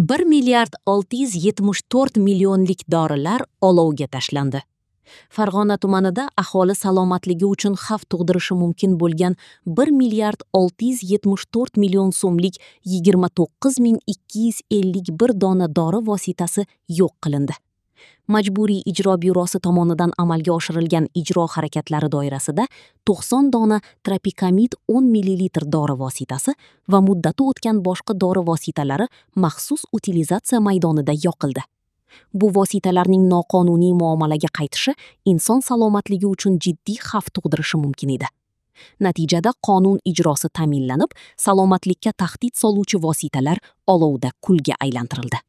1 milliard 674 millionlik dorilar olovga tashlandi. Farg'ona tumanida aholi salomatligi uchun xavf tug'dirishi mumkin bo'lgan 1 milliard 674 million so'mlik 29 251 dona dori vositasi yo'q qilindi. Majburiy ijro byurosi tomonidan amalga oshirilgan ijro harakatlari doirasida 90 dona Tropikamid 10 ml dori vositasi va muddati o'tgan boshqa dori vositalari maxsus utilizatsiya maydonida yoqildi. Bu vositalarning noqonuniy muomalaga qaytishi inson salomatligi uchun jiddiy xavf tug'dirishi mumkin edi. Natijada qonun ijrosi ta'minlanib, salomatlikka tahdid soluvchi vositalar olovda kulga aylantirildi.